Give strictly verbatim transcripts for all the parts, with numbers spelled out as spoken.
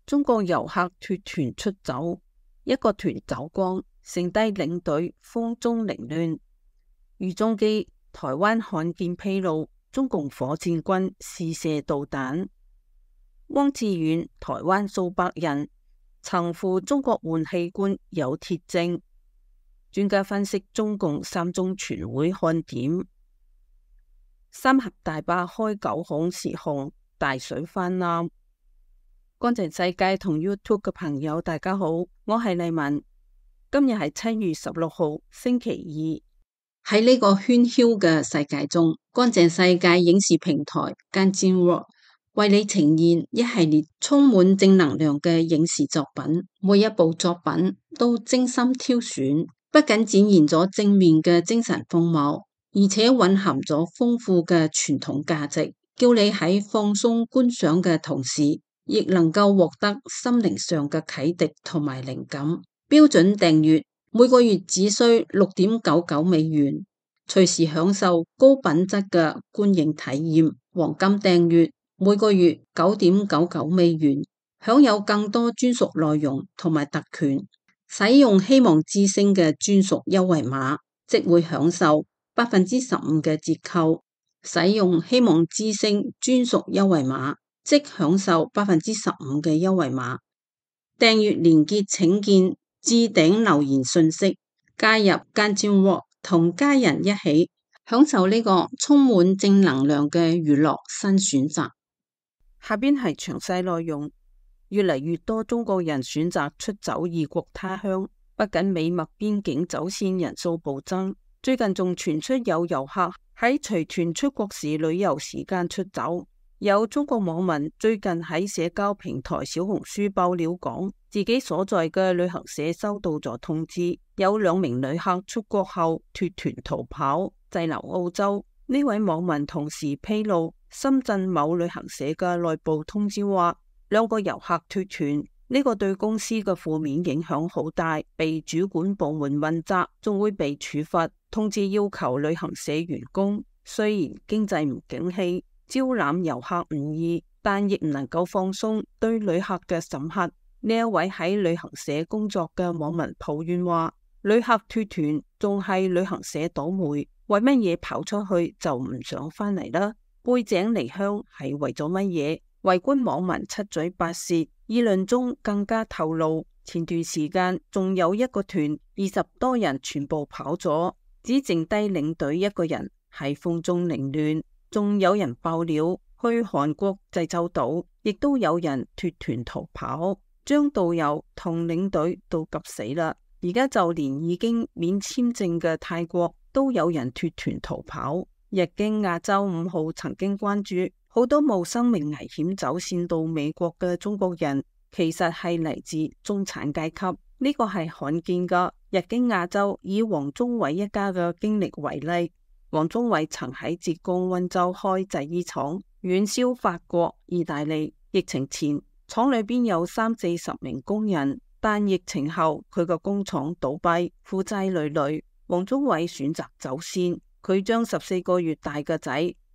中國遊客脫團出走，一個團走光，剩低領隊風中凌亂。俞中基，台灣罕見披露中共火箭軍試射導彈。汪志遠，台灣數百人曾赴中國換器官有鐵證。專家分析中共三中全會看點。三峽大壩開九孔泄洪，大水泛濫。乾淨世界同 YouTube 嘅朋友大家好，我係麗文。今日係七月十六號星期二。喺呢個喧囂嘅世界中，乾淨世界影視平台 Ganjin 為你呈現一系列充滿正能量嘅影視作品，每一部作品都精心挑選，不僅展現咗正面嘅精神風貌，而且蘊含咗豐富嘅傳統價值，叫你喺放鬆觀賞嘅同時，亦能夠獲得心靈上嘅啟迪同埋靈感。標準訂閱每個月只需六點九九美元，隨時享受高品質嘅觀影體驗。黃金訂閱每個月九點九九美元，享有更多專屬內容同埋特權。使用希望之聲嘅專屬優惠碼，即會享受百分之十五嘅折扣。使用希望之聲專屬優惠碼，即享受百分之十五嘅優惠碼。訂閱連結請見置頂留言信息。加入Ganjin Walk，同家人一起享受呢個充滿正能量嘅娛樂新選擇。下邊係詳細內容。越嚟越多中國人選擇出走異國他鄉，不僅美墨邊境走線人數暴增，最近仲傳出有遊客喺隨團出國時旅遊時間出走。有中國網民最近喺社交平台小紅書爆料講，自己所在嘅旅行社收到咗通知，有兩名旅客出國後脫團逃跑，滯留澳洲。呢位網民同時披露，深圳某旅行社嘅內部通知話，兩個遊客脫團，呢個對公司嘅負面影響好大，被主管部門問責，仲會被處罰。通知要求旅行社員工，雖然經濟唔景氣，招攬遊客唔易，但亦唔能夠放鬆對旅客嘅審核。呢一位喺旅行社工作嘅網民抱怨話，旅客脫團仲係旅行社倒霉，為乜嘢跑出去就唔想返嚟啦？背井離鄉係為咗乜嘢？圍觀網民七嘴八舌，議論中更加透露，前段時間仲有一個團二十多人全部跑咗，只剩低領隊一個人喺風中凌亂。仲有人爆料去韓國濟州島，亦都有人脫團逃跑，將導遊同領隊都急死啦。而家就連已經免簽證嘅泰國都有人脫團逃跑。日經亞洲五號曾經關注，好多冒生命危險走線到美國嘅中國人，其實係嚟自中產階級，呢個係罕見噶。日經亞洲以王宗偉一家嘅經歷為例，王宗偉曾喺浙江溫州開製衣廠，遠銷法國、意大利。疫情前廠裏邊有三四十名工人，但疫情後佢個工廠倒閉，負債累累。王宗偉選擇走線，佢將十四個月大嘅仔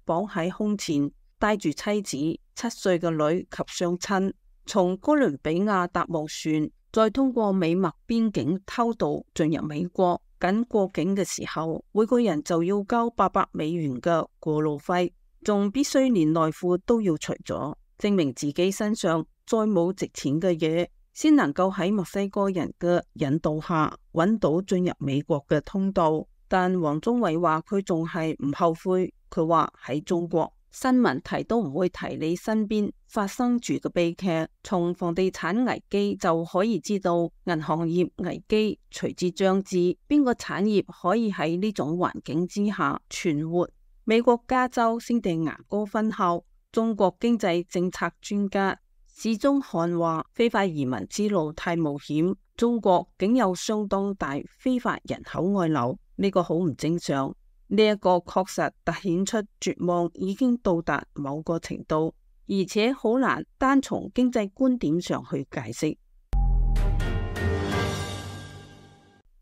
綁喺胸前，帶住妻子、七歲嘅女及雙親，從哥倫比亞搭木船，再通過美墨邊境偷渡進入美國。緊過境嘅時候，每個人就要交八百美元嘅過路費，仲必須連內褲都要除咗，證明自己身上再冇值錢嘅嘢，先能夠喺墨西哥人嘅引導下揾到進入美國嘅通道。但王宗偉話佢仲係唔後悔，佢話喺中國新聞提都唔會提你身邊發生住嘅悲劇，從房地產危機就可以知道銀行業危機隨之將至，邊個產業可以喺呢種環境之下存活？美國加州聖地牙哥分校中國經濟政策專家史宗漢話，非法移民之路太冒險，中國竟有相當大非法人口外流，呢個好唔正常。呢一個確實凸顯出絕望已經到達某個程度，而且好難單從經濟觀點上去解釋。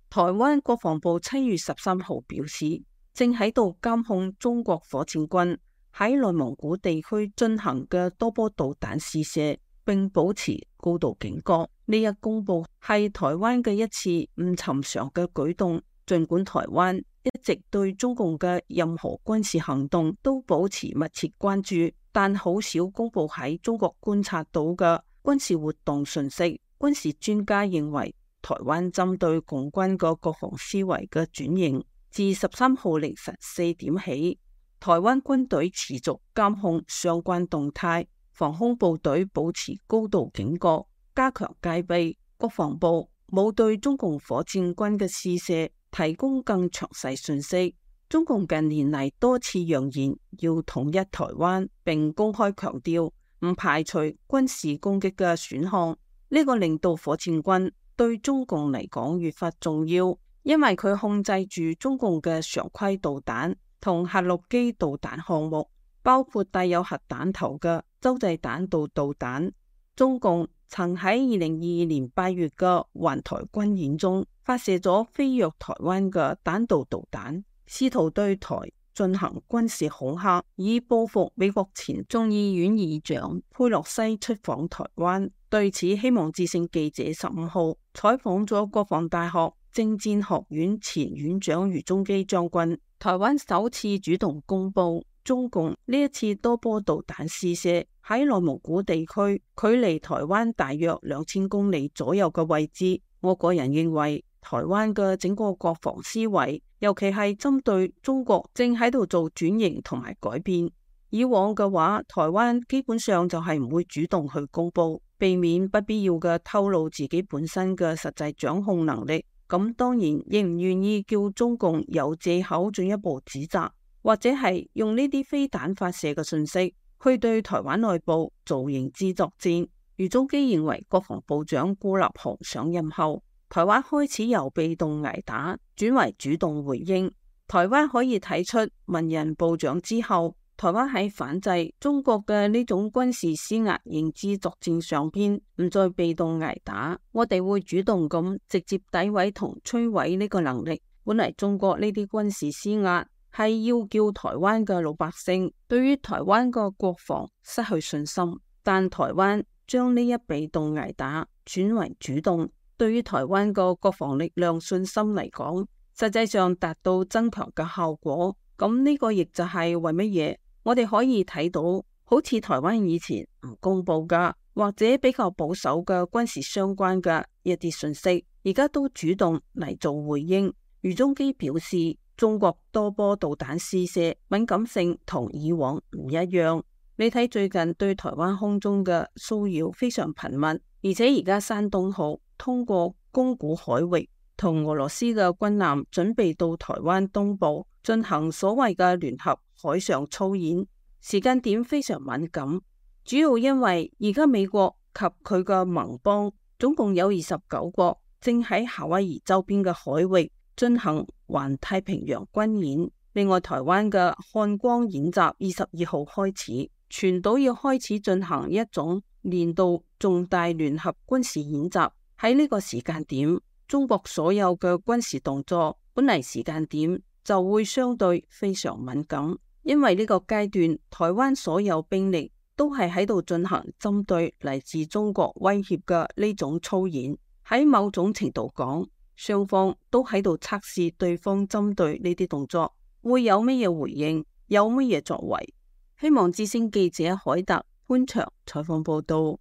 台灣國防部七月十三號表示，正喺度監控中國火箭軍喺內蒙古地區進行嘅多波導彈試射，並保持高度警覺。呢一公佈係台灣嘅一次唔尋常嘅舉動，儘管台灣一直對中共嘅任何軍事行動都保持密切關注，但好少公佈喺中國觀察到嘅軍事活動訊息。軍事專家認為，台灣針對共軍嘅國防思維嘅轉型，自十三號凌晨四點起，台灣軍隊持續監控相關動態，防空部隊保持高度警覺，加強戒備。國防部冇對中共火箭軍嘅試射提供更詳細信息。中共近年嚟多次揚言要統一台灣，並公開強調唔排除軍事攻擊嘅選項。呢個令到火箭軍對中共嚟講越發重要，因為佢控制住中共嘅常規導彈同核陸基導彈項目，包括帶有核彈頭嘅洲際彈道導彈。中共曾喺二零二二年八月嘅環台軍演中發射咗飛越台灣嘅彈道導彈，試圖對台進行軍事恐嚇，以報復美國前眾議院議長佩洛西出訪台灣。對此，希望之聲記者十五號採訪咗國防大學政戰學院前院長余宗基將軍。台灣首次主動公布中共呢一次多波導彈試射喺內蒙古地區，距離台灣大約兩千公里左右嘅位置。我個人認為，台灣嘅整個國防思維，尤其係針對中國正喺度做轉型同埋改變。以往嘅話，台灣基本上就係唔會主動去公布，避免不必要嘅透露自己本身嘅實際掌控能力。咁當然亦唔願意叫中共有借口進一步指責，或者係用呢啲飛彈發射嘅信息去對台灣內部做認知作戰。余宗基認為，國防部長顧立雄上任後，台灣開始由被動挨打轉為主動回應。台灣可以睇出文人部長之後，台灣喺反制中國嘅呢種軍事施壓認知作戰上邊唔再被動挨打，我哋會主動咁直接詆毀同摧毀呢個能力。本嚟中國呢啲軍事施壓係要叫台灣嘅老百姓對於台灣個國防失去信心，但台灣將呢一被動挨打轉為主動，對於台灣個國防力量信心嚟講，實際上達到增強嘅效果。咁呢個亦就係為乜嘢我哋可以睇到，好似台灣以前唔公布噶或者比較保守嘅軍事相關嘅一啲信息，而家都主動嚟做回應。余宗基表示，中國多波導彈試射敏感性同以往唔一樣。你睇最近對台灣空中嘅騷擾非常頻密，而且而家山東號通過宮古海域同俄羅斯嘅軍艦準備到台灣東部進行所謂嘅聯合海上操演，時間點非常敏感，主要因為而家美國及佢嘅盟邦總共有二十九國正喺夏威夷周邊嘅海域進行環太平洋軍演。另外，台灣嘅漢光演習二十二號開始，全島要開始進行一種年度重大聯合軍事演習。喺呢個時間點，中國所有嘅軍事動作本嚟時間點就會相對非常敏感，因為呢個階段台灣所有兵力都係喺度進行針對嚟自中國威脅嘅呢種操演。喺某種程度講，雙方都喺度測試對方針對呢啲動作會有乜嘢回應，有乜嘢作為。希望之聲記者海特潘祥採訪報道。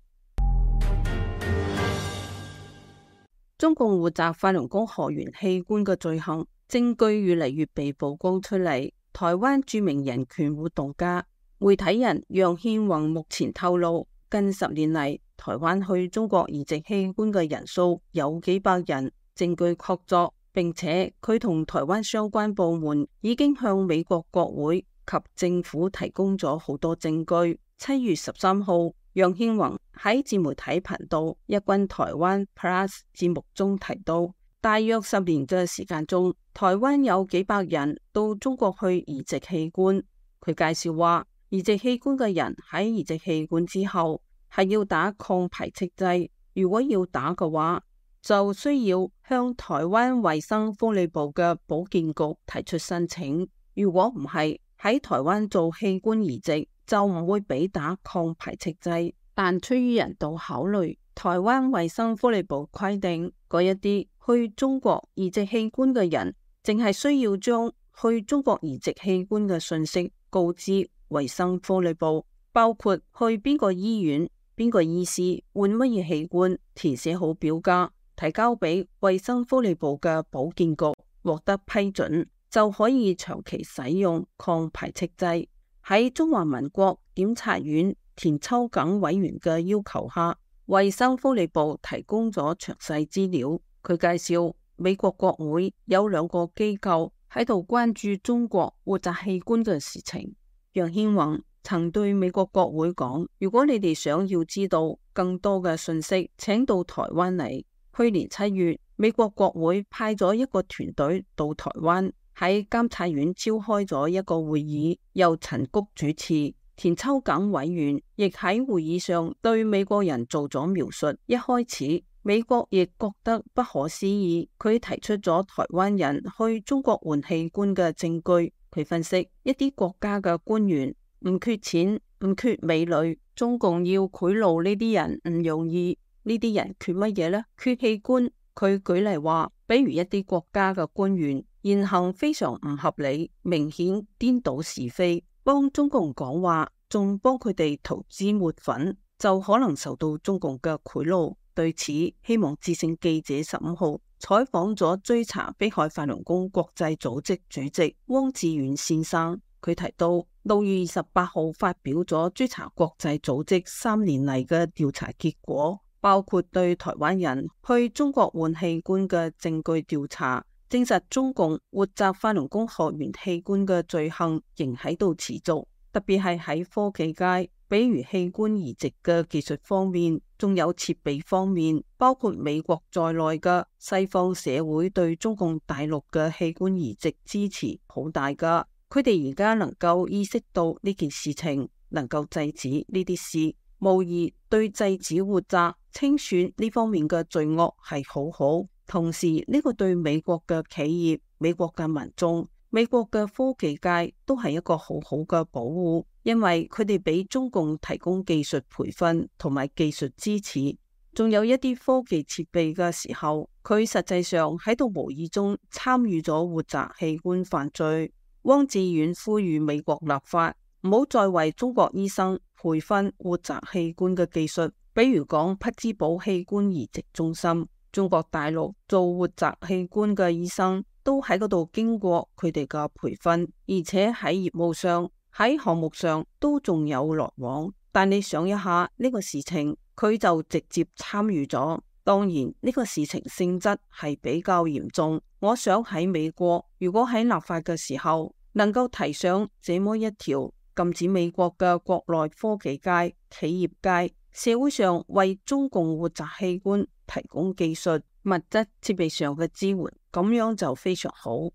中共負責法輪功學員器官嘅罪行證據越嚟越被曝光出嚟。台灣著名人權活動家、媒體人楊憲宏目前透露，近十年嚟，台灣去中國移植器官嘅人數有幾百人，證據確鑿，並且佢同台灣相關部門已經向美國國會及政府提供咗好多證據。七月十三號，楊憲宏喺自媒體頻道一軍台灣 Plus 節目中提到，大約十年嘅時間中，台灣有幾百人到中國去移植器官。佢介紹話，移植器官嘅人喺移植器官之後係要打抗排斥劑，如果要打嘅話，就需要向台灣衛生福利部嘅保健局提出申請。如果唔係喺台灣做器官移植，就唔會俾打抗排斥劑。但出於人道考慮，台灣衛生福利部規定，嗰一啲去中國移植器官嘅人，淨係需要將去中國移植器官嘅信息告知衛生福利部，包括去邊個醫院、邊個醫師換乜嘢器官，填寫好表格，提交俾衛生福利部嘅保健局，獲得批准，就可以長期使用抗排斥劑。喺中華民國檢察院田秋瑾委員嘅要求下，衛生福利部提供咗詳細資料。佢介紹美國國會有兩個機構喺度關注中國活摘器官嘅事情。楊憲宏曾對美國國會講，如果你哋想要知道更多嘅信息，請到台灣嚟。去年七月，美國國會派咗一個團隊到台灣，喺監察院召開咗一個會議，由陳菊主持。田秋瑾委員亦喺會議上對美國人做咗描述。一開始，美國亦覺得不可思議，佢提出咗台灣人去中國換器官嘅證據。佢分析，一啲國家嘅官員唔缺錢，唔缺美女，中共要賄賂呢啲人唔容易。呢啲人缺乜嘢呢？缺器官。佢舉例話，比如一啲國家嘅官員言行非常唔合理，明顯顛倒是非，幫中共講話，仲幫佢哋塗脂抹粉，就可能受到中共嘅賄賂。對此，希望之聲記者十五號採訪咗追查迫害法輪功國際組織主席汪志遠先生。佢提到，六月二十八號發表咗追查國際組織三年嚟嘅調查結果，包括對台灣人去中國換器官嘅證據調查，證實中共活摘法輪功學員器官嘅罪行仍喺度持續，特別係喺科技界，比如器官移植嘅技術方面，仲有設備方面，包括美國在內嘅西方社會對中共大陸嘅器官移植支持好大噶。佢哋而家能夠意識到呢件事情，能夠制止呢啲事，無疑對制止活摘、清算呢方面嘅罪惡係好好。同時，呢個對美國嘅企業、美國嘅民眾、美國嘅科技界都係一個好好嘅保護，因為佢哋俾中共提供技術培訓同埋技術支持，仲有一啲科技設備嘅時候，佢實際上喺度無意中參與咗活摘器官犯罪。汪志遠呼籲美國立法，唔好再為中國醫生培訓活摘器官嘅技術，比如講匹茲堡器官移植中心，中國大陸做活摘器官嘅醫生都喺嗰度經過佢哋嘅培訓，而且喺業務上、喺項目上都仲有來往。但你想一下呢個事情，佢就直接參與咗。當然呢個事情性質係比較嚴重。我想喺美國，如果喺立法嘅時候能夠提上這麼一條，禁止美國嘅國內科技界、企業界、社會上為中共活摘器官提供技術、物質、設備上嘅支援，咁樣就非常好。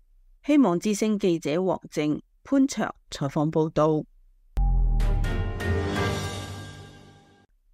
希望之聲記者黃靜、潘卓採訪報道。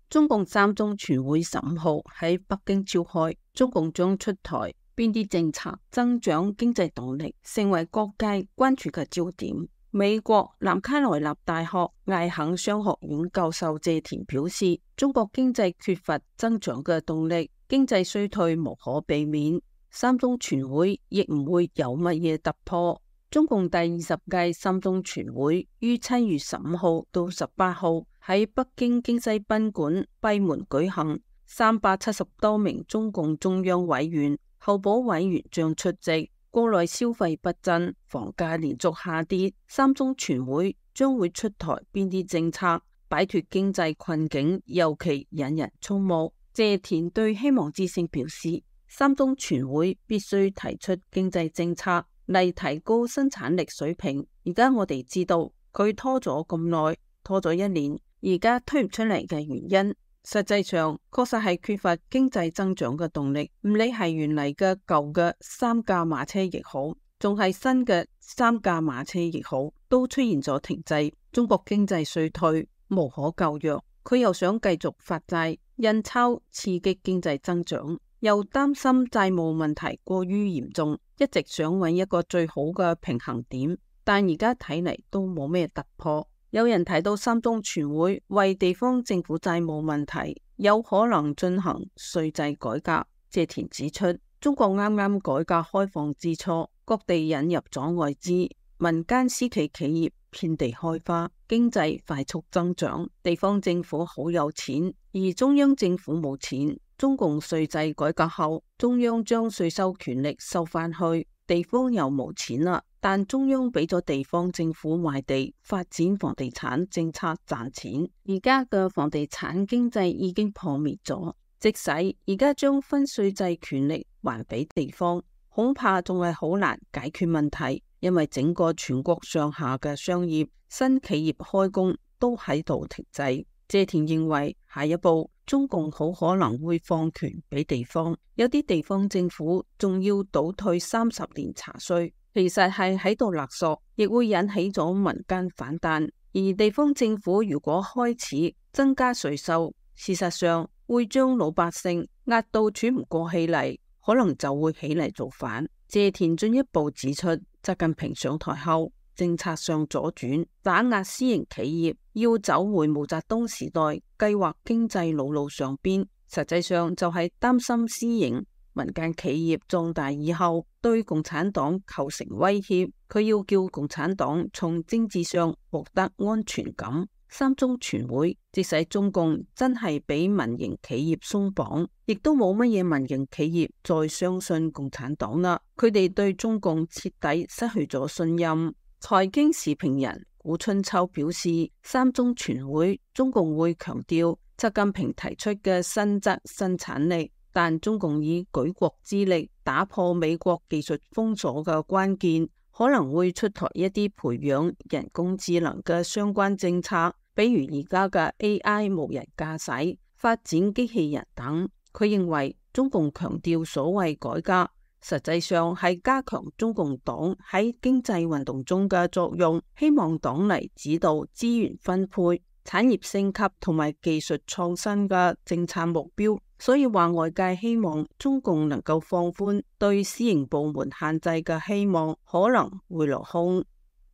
中共三中全會十五號喺北京召開，中共將出台邊啲政策增長經濟動力，成為各界關注嘅焦點。美國南卡羅來納大學艾肯商學院教授謝田表示，中國經濟缺乏增長嘅動力，經濟衰退無可避免，三中全會亦唔會有乜嘢突破。中共第二十屆三中全會於七月十五號到十八號喺北京京西賓館閉門舉行，三百七十多名中共中央委員、候補委員將出席。國內消費不振，房價連續下跌，三中全會將會出台邊啲政策擺脫經濟困境，尤其引人矚目。謝田對希望之聲表示，三中全會必須提出經濟政策嚟提高生產力水平。而家我哋知道佢拖咗咁耐，拖咗一年，而家推唔出嚟嘅原因，實際上確實係缺乏經濟增長嘅動力。唔理係原嚟嘅舊嘅三駕馬車亦好，仲係新嘅三駕馬車亦好，都出現咗停滯。中國經濟衰退無可救藥，佢又想繼續發債印鈔刺激經濟增長，又擔心債務問題過於嚴重，一直想揾一個最好嘅平衡點，但而家睇嚟都冇咩突破。有人提到三中全會為地方政府債務問題有可能進行稅制改革。謝田指出，中國啱啱改革開放之初，各地引入咗外資，民間私企企業遍地開花，經濟快速增長，地方政府好有錢，而中央政府冇錢。中共稅制改革後，中央將稅收權力收返去，地方又冇錢啦。但中央俾咗地方政府賣地發展房地產政策賺錢，而家嘅房地產經濟已經破滅咗。即使而家將分稅制權力還俾地方，恐怕仲係好難解決問題，因為整個全國上下嘅商業、新企業開工都喺度停滯。謝田認為，下一步中共好可能會放權俾地方，有啲地方政府仲要倒退三十年查稅，其實係喺度勒索，亦會引起咗民間反彈。而地方政府如果開始增加稅收，事實上會將老百姓壓到喘唔過氣嚟，可能就會起嚟造反。謝田進一步指出，習近平上台後，政策上左轉，打壓私營企業，要走回毛澤東時代計劃經濟老路上邊，實際上就係擔心私營民間企業壯大以後對共產黨構成威脅，佢要叫共產黨從政治上獲得安全感。三中全會即使中共真係俾民營企業鬆綁，亦都冇乜嘢民營企業再相信共產黨啦，佢哋對中共徹底失去咗信任。財經時評人古春秋表示，三中全會中共會強調習近平提出嘅新質生產力，但中共以舉國之力打破美國技術封鎖嘅關鍵，可能會出台一啲培養人工智能嘅相關政策，比如而家嘅 A I 無人駕駛、發展機器人等。佢認為中共強調所謂改革，實際上係加強中共黨喺經濟運動中嘅作用，希望黨嚟指導資源分配、產業升級同埋技術創新嘅政策目標。所以話外界希望中共能夠放寬對私營部門限制嘅希望可能會落空。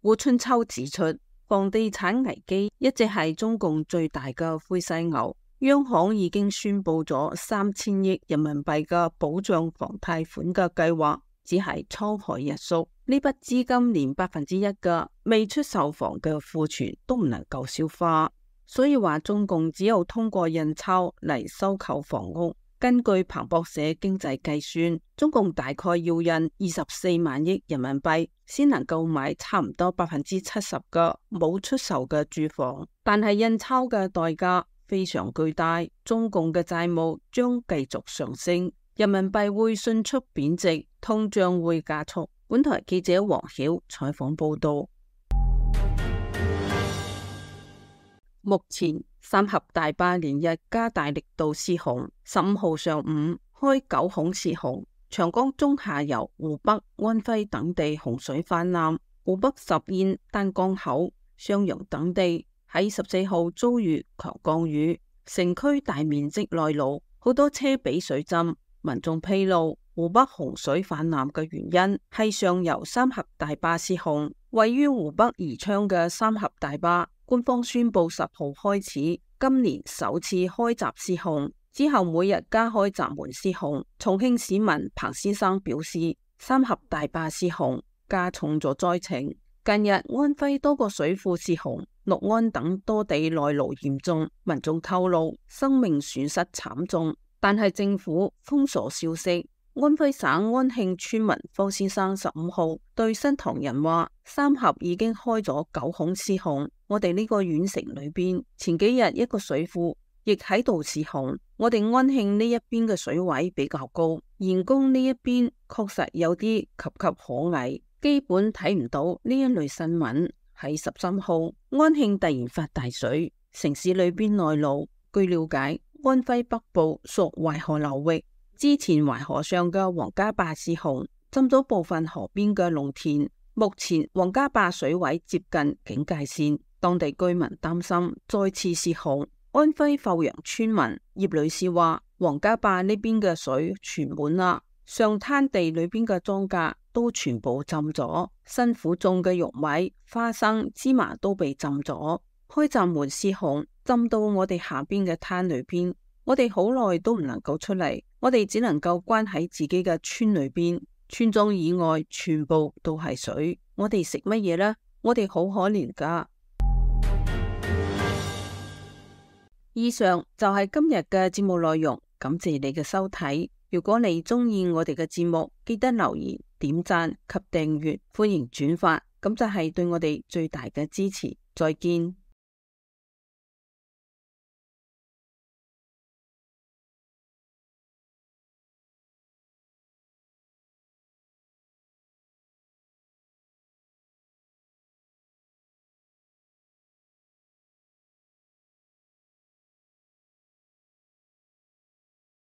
胡春秋指出，房地產危機一直係中共最大嘅灰犀牛，央行已經宣布咗三千億人民幣嘅保障房貸款嘅計劃，只係滄海一粟。呢筆資金連百分之一嘅未出售房嘅庫存都唔能夠消化。所以話中共只有通過印鈔嚟收購房屋。根據彭博社經濟計算，中共大概要印二十四萬億人民幣先能夠買差唔多百分之七十嘅冇出售嘅住房，但係印鈔嘅代價非常巨大，中共嘅債務將繼續上升，人民幣會迅速貶值，通脹會加速。本台記者黃曉採訪報道。目前三峽大壩連日加大力度泄洪，十五號上午開九孔泄洪，長江中下游湖北、安徽等地洪水泛濫，湖北十堰、丹江口、襄陽等地喺十四號遭遇強降雨，城區大面積內澇，好多車被水浸。民眾披露，湖北洪水泛濫嘅原因係上游三峽大壩泄洪。位於湖北宜昌嘅三峽大壩，官方宣布十號開始今年首次開閘泄洪，之後每日加開閘門泄洪。重慶市民彭先生表示，三峽大壩泄洪加重咗災情。近日安徽多個水庫泄洪，六安等多地內澇嚴重，民眾透露生命損失慘重，但係政府封鎖消息。安徽省安慶村民方先生十五號對新唐人話，三峽已經開咗九孔泄洪，我哋呢個縣城裏邊前幾日一個水庫亦喺度泄洪，我哋安慶呢一邊嘅水位比較高，峴宮呢一邊確實有啲岌岌可危，基本睇唔到呢一類新聞。喺十三號安慶突然發大水，城市裏邊內澇。據了解，安徽北部屬淮河流域，之前淮河上嘅王家壩泄洪，浸咗部分河邊嘅農田。目前王家壩水位接近警戒線，當地居民擔心再次泄洪。安徽阜陽村民葉女士話，王家壩呢邊嘅水全滿啦，上灘地裏邊嘅莊稼都全部浸咗，辛苦種嘅玉米、花生、芝麻都被浸咗。開閘門失控，浸到我哋下邊嘅灘裏邊，我哋好耐都唔能夠出嚟，我哋只能夠關喺自己嘅村裏邊，村莊以外全部都係水，我哋食乜嘢呢？我哋好可憐噶。以上就係今日嘅節目內容，感謝你嘅收睇。如果你中意我哋嘅節目，記得留言、點讚及訂閱，歡迎轉發，咁就係對我哋最大嘅支持。再見。